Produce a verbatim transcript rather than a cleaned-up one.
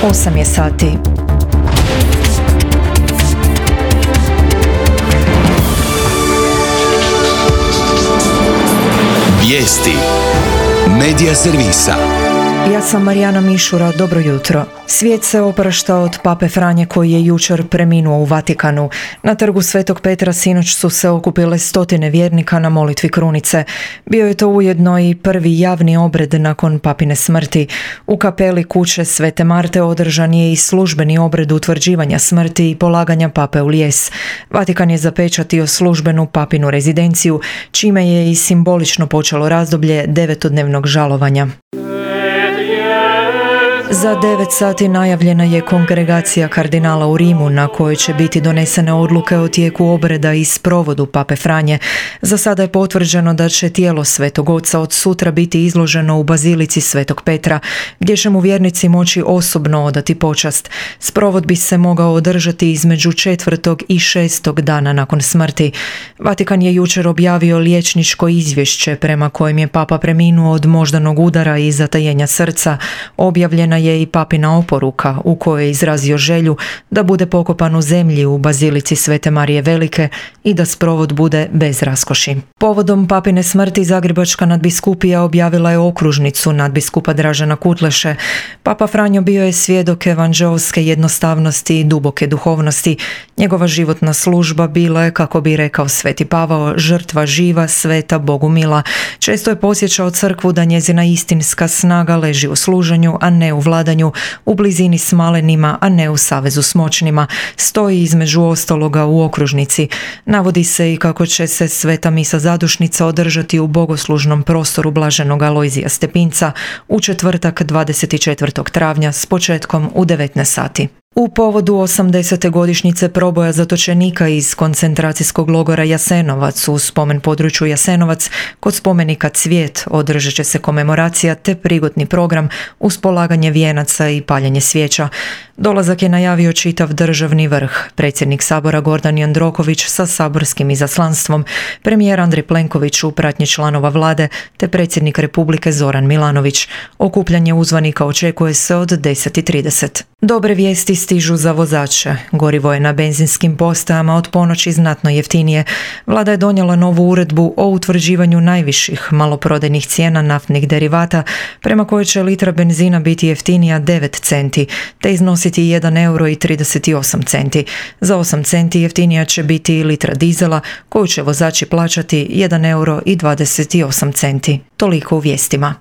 osam je sati. Vijesti Medija servisa. Ja sam Marijana Mišura, dobro jutro. Svijet se oprašta od pape Franje koji je jučer preminuo u Vatikanu. Na trgu Svetog Petra sinoć su se okupile stotine vjernika na molitvi krunice. Bio je to ujedno i prvi javni obred nakon papine smrti. U kapeli kuće Svete Marte održan je i službeni obred utvrđivanja smrti i polaganja pape u lijes. Vatikan je zapečatio službenu papinu rezidenciju, čime je i simbolično počelo razdoblje devetodnevnog žalovanja. Za devet sati najavljena je kongregacija kardinala u Rimu na kojoj će biti donesene odluke o tijeku obreda i sprovodu pape Franje. Za sada je potvrđeno da će tijelo Svetog Oca od sutra biti izloženo u bazilici Svetog Petra, gdje će mu vjernici moći osobno odati počast. Sprovod bi se mogao održati između četvrtog i šestog dana nakon smrti. Vatikan je jučer objavio liječničko izvješće prema kojem je papa preminuo od moždanog udara i zatajenja srca. Objavljena je i papina oporuka u kojoj je izrazio želju da bude pokopan u zemlji u bazilici Svete Marije Velike i da sprovod bude bez raskoši. Povodom papine smrti Zagrebačka nadbiskupija objavila je okružnicu nadbiskupa Dražena Kutleše. Papa Franjo bio je svjedok evanđeoske jednostavnosti i duboke duhovnosti. Njegova životna služba bila je, kako bi rekao Sveti Pavao, žrtva živa, sveta, Bogu mila. Često je podsjećao crkvu da njezina istinska snaga leži u služenju, a ne u vladanju, u blizini s malenima, a ne u savezu s moćnima. Stoji između ostaloga u okružnici. Navodi se i kako će se sveta misa zadušnica održati u bogoslužnom prostoru blaženog Alojzija Stepinca u četvrtak dvadeset četvrtog travnja s početkom u devetnaest sati. U povodu osamdesete godišnjice proboja zatočenika iz koncentracijskog logora Jasenovac u spomen području Jasenovac kod spomenika Cvijet održat će se komemoracija te prigodni program uz polaganje vijenaca i paljenje svijeća. Dolazak je najavio čitav državni vrh, predsjednik Sabora Gordan Jandroković sa saborskim izaslanstvom, premijer Andrej Plenković u pratnji članova vlade te predsjednik Republike Zoran Milanović. Okupljanje uzvanika očekuje se od deset i trideset. Dobre vijesti stižu za vozače. Gorivo je na benzinskim postajama od ponoći znatno jeftinije. Vlada je donijela novu uredbu o utvrđivanju najviših maloprodajnih cijena naftnih derivata, prema kojoj će litra benzina biti jeftinija devet centi, te iznositi jedan euro i trideset osam centi. Za osam centi jeftinija će biti i litra dizela, koju će vozači plaćati jedan euro i dvadeset osam centi. Toliko u vijestima.